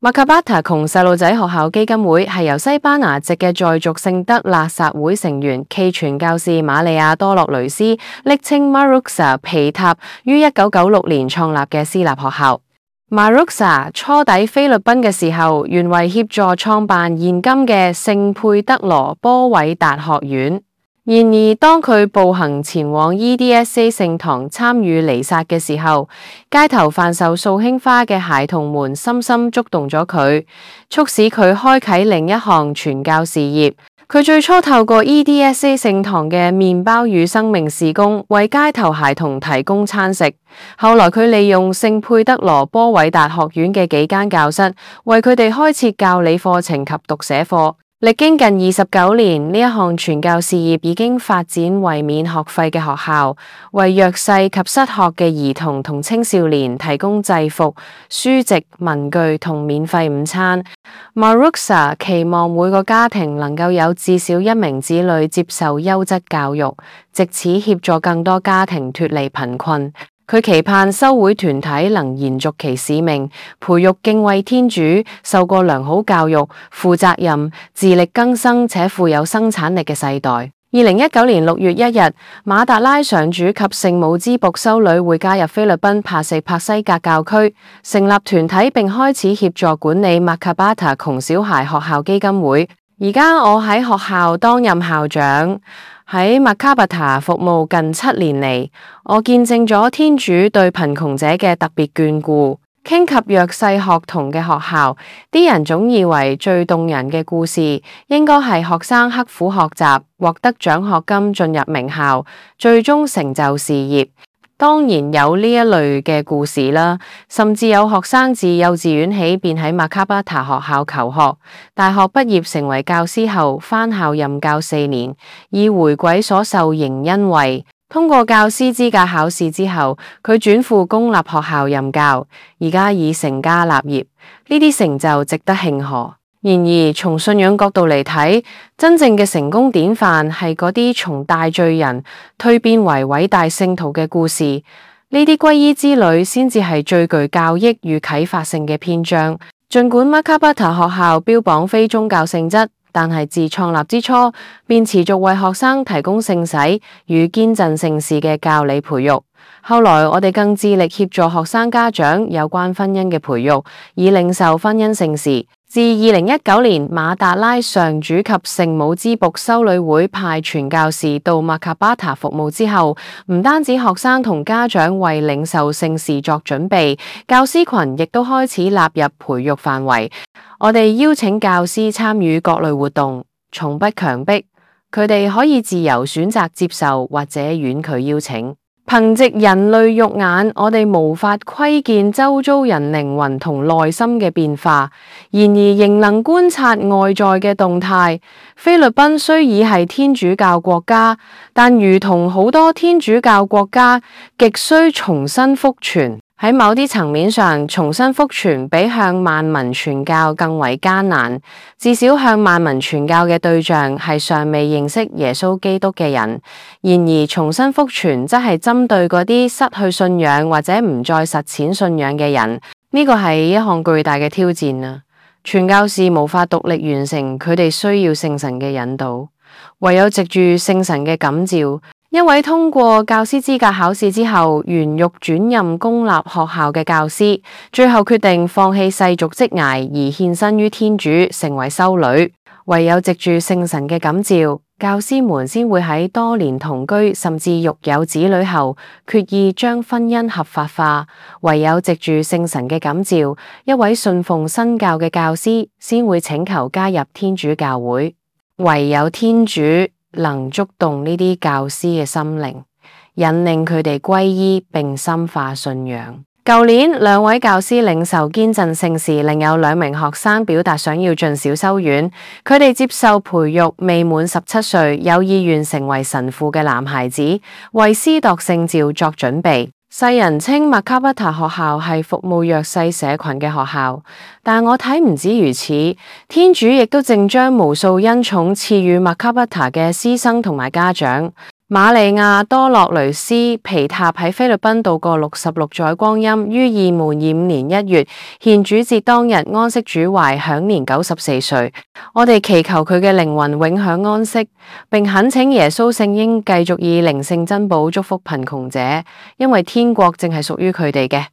麥卡巴塔窮細路仔學校基金會係由西班牙籍嘅在族聖德肋撒會成員暨傳教士瑪利亞多洛雷斯，昵稱 Maruxa 皮塔於1996年創立嘅私立學校。Maruxa 初抵菲律賓嘅時候，原為協助創辦現今嘅聖佩德羅波韋達學院。然而，當佢步行前往 EDSA 聖堂參與彌撒嘅時候，街頭販售素馨花嘅孩童們深深觸動咗佢，促使佢開啟另一項傳教事業。佢最初透過 EDSA 聖堂嘅麵包與生命事工，為街頭孩童提供餐食。後來佢利用聖佩德羅波韋達學院嘅幾間教室，為佢哋開設教理課程及讀寫課。歷經近29年，呢一項傳教事業已經發展為免學費嘅學校，為弱勢及失學嘅兒童同青少年提供制服、書籍、文具同免費午餐。Maruxa 期望每個家庭能夠有至少一名子女接受優質教育，藉此協助更多家庭脫離貧困。佢期盼修會團體能延續其使命，培育敬畏天主、受過良好教育、負責任、自力更生且富有生產力嘅世代。2019年6月1日，馬達拉上主及聖母之僕修女會加入菲律賓帕西帕西格教區，成立團體並開始協助管理麥卡巴塔窮小孩學校基金會。而家我喺學校擔任校長。喺麥卡巴塔服務近7年嚟，我見證咗天主對貧窮者嘅特別眷顧。傾及弱勢學童嘅學校，啲人總以為最動人嘅故事應該係學生刻苦學習，獲得獎學金進入名校，最終成就事業。當然有呢一類嘅故事啦，甚至有學生自幼稚園起便喺麥卡巴塔學校求學，大學畢業成為教師後返校任教4年，以回饋所受仍恩惠。通過教師資格考試之後，佢轉赴公立學校任教，而家已成家立業，呢啲成就值得慶賀。然而，從信仰角度嚟睇，真正嘅成功典範係嗰啲從大罪人蛻變為偉大聖徒嘅故事。呢啲皈依之旅先至係最具教益與啟發性嘅篇章。儘管麥卡巴塔學校標榜非宗教性質，但係自創立之初便持續為學生提供聖洗與堅振聖事嘅教理培育。後來我哋更致力協助學生家長有關婚姻嘅培育，以領受婚姻聖事。自2019年馬達拉上主及聖母之僕修女會派傳教士到麥卡巴塔服務之後，唔單止學生同家長為領受聖事作準備，教師群亦都開始納入培育範圍。我哋邀請教師參與各類活動，從不強迫，佢哋可以自由選擇接受或者婉拒邀請。憑藉人類肉眼，我哋無法窺見周遭人靈魂同內心嘅變化，然而仍能觀察外在嘅動態。菲律賓雖已係天主教國家，但如同好多天主教國家，極需重新福傳。喺某啲層面上，重新福傳比向萬民傳教更為艱難。至少向萬民傳教嘅對象係尚未認識耶穌基督嘅人。然而，重新福傳則係針對嗰啲失去信仰或者唔再實踐信仰嘅人。呢個係一項巨大嘅挑戰啊！傳教士無法獨立完成，佢哋需要聖神嘅引導，唯有藉住聖神嘅感召。一位通過教師資格考試之後，原欲轉任公立學校嘅教師，最後決定放棄世俗職涯而獻身於天主，成為修女。唯有藉住聖神嘅感召，教師們先會喺多年同居甚至育有子女後，決意將婚姻合法化。唯有藉住聖神嘅感召，一位信奉新教嘅教師先會請求加入天主教會。唯有天主能觸動呢啲教師嘅心靈，引領佢哋歸依並深化信仰。舊年2位教師領受堅振聖事，另有2名學生表達想要進小修院。佢哋接受培育未滿17歲，有意願成為神父嘅男孩子，為司鐸聖召作準備。世人稱麥卡巴塔學校係服務弱勢社群嘅學校，但我睇唔止如此，天主亦都正將無數恩寵賜予麥卡巴塔嘅師生同埋家長。瑪利亞多洛雷斯皮塔喺菲律賓度過66載光陰，於2025年1月獻主節當日安息主懷，享年94歲。我哋祈求佢嘅靈魂永享安息，並懇請耶穌聖嬰繼續以靈性珍寶祝福貧窮者，因為天國正係屬於佢哋嘅。